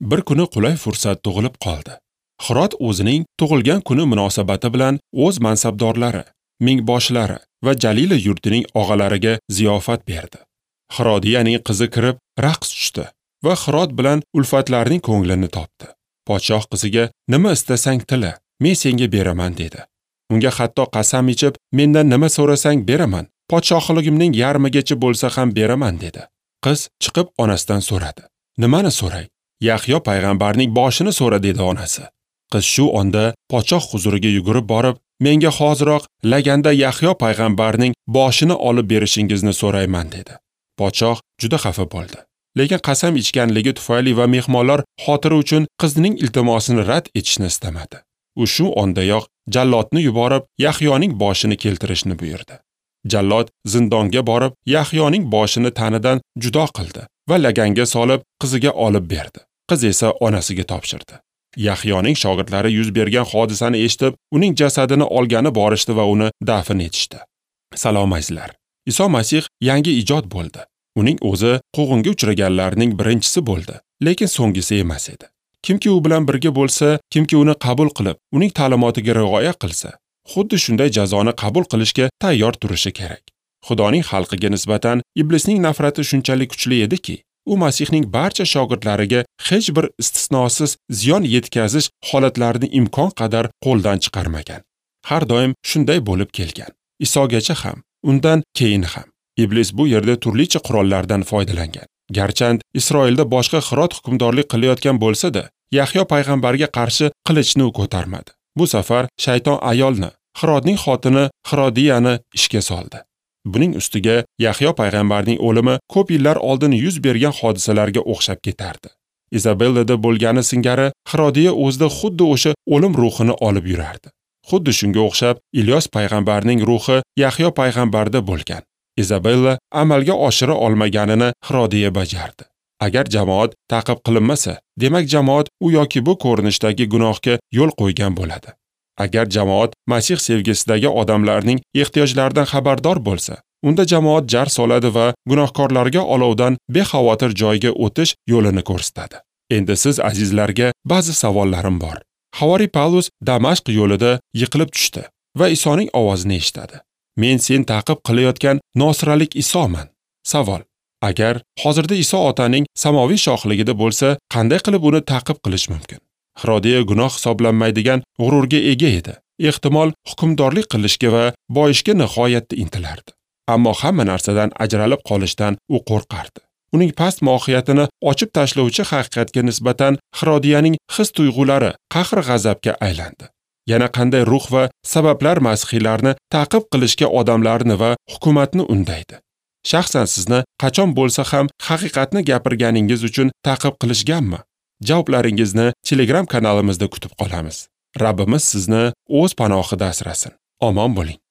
Bir kuni qulay fursat tug'ilib qoldi. Hirod o'zining tug'ilgan kuni munosabati bilan o'z mansabdorlari, mingboshlari va Jalila yurtining og'alariga ziyofat berdi. Hirodiyaning qizi kirib raqs tushdi va Hirod bilan ulfatlarning ko'nglini topdi. Podshoh qiziga nima istasang tila, men senga beraman dedi. Unga hatto qasam ichib, mendan nima so'rasang beraman, podshohligimning yarmigacha bo'lsa ham beraman dedi. Qiz chiqib onasidan so'radi. Nimani so'ray? Yahyo payg'ambarning boshini so'ra dedi onasi. Qiz shu onda podshoh huzuriga yugurib borib, menga hoziroq laganda Yahyo payg'ambarning boshini olib berishingizni so'rayman dedi. Podshoh juda xafa bo'ldi. Lekin qasam ichganligi tufayli va mehmonlar xotiri uchun qizning iltimosini rad etishni istamadi. U shu ondayoq jallodni yuborib, Yahyoning boshini keltirishni buyurdi. Jallod zindonga borib, Yahyoning boshini tanidan judo qildi va laganga solib qiziga olib berdi. Qiz esa onasiga topshirdi. Yahyoning shogirdlari yuz bergan hodisani eshitib, uning jasadini olgani borishdi va uni dafn etishdi. Salom azizlar. Iso Masih yangi ijod bo'ldi. Uning o'zi quvg'inga uchraganlarning birinchisi bo'ldi, lekin so'nggisi emas edi. Kimki u bilan birga bo'lsa, kimki uni qabul qilib, uning ta'limotiga rioya qilsa, xuddi shunday jazoni qabul qilishga tayyor turishi kerak. Xudoning xalqiga nisbatan iblisning nafrati shunchalik kuchli ediki, u Masihning barcha shogirdlariga hech bir istisnosiz ziyon yetkazish holatlarini imkon qadar qo'ldan chiqarmagan. Har doim shunday bo'lib kelgan. Isogacha ham, undan keyin ham. Iblis bu yerda turlicha qurollardan foydalangan. Garchand Isroilda boshqa Hirod hukmdorlik qilayotgan bo'lsa-da, Yahyo payg'ambarga qarshi qilichni u ko'tarmadi. Bu safar shayton ayolni, Hirodning xotini Hirodiyani ishga soldi. Buning ustiga Yahyo payg'ambarning o'limi ko'p yillar oldin yuz bergan hodisalarga o'xshab ketardi. Izabellada bo'lgani singari Hirodiya o'zida xuddi o'sha o'lim ruhini olib yurardi. Xuddi shunga o'xshab Ilyos payg'ambarning ruhi Yahyo payg'ambarda bo'lgan. Izabella amalga oshira olmaganini Hirodiya bajardi. Agar jamoat ta'qib qilinmasa, demak jamoat u yoki bu ko'rinishdagi gunohga yo'l qo'ygan bo'ladi. Agar jamoat Masih sevgisidagi odamlarning ehtiyojlaridan xabardor bo'lsa, unda jamoat jar soladi va gunohkorlarga olovdan bexavotir joyga o'tish yo'lini ko'rsatadi. Endi siz azizlarga ba'zi savollarim bor. Havoriy Pavlus Damashq yo'lida yiqilib tushdi va Isoning ovozini eshitadi. Men sen ta'qib qilayotgan Nosiralik Isoman. Savol: agar hozirda Iso otaning samoviy shohligida bo'lsa, qanday qilib uni ta'qib qilish mumkin? Hirodiya gunoh hisoblanmaydigan g'ururga ega edi. Ehtimol hukmdorlik qilishga va boyishga nihoyatda intilardi. Ammo hamma narsadan ajralib qolishdan u qo'rqardi. Uning past mohiyatini ochib tashlovchi haqiqatga nisbatan Hirodiyaning his-tuyg'ulari qahr-g'azabga aylandi. Yana qanday ruh va sabablar masihiylarni ta'qib qilishga odamlarni va hukumatni undaydi? Shaxsan sizni qachon bo'lsa ham haqiqatni gapirganingiz uchun ta'qib qilishganmi? Javoblaringizni Telegram kanalimizda kutib qolamiz. Rabbimiz sizni o'z panohida asrasin. Omon bo'ling.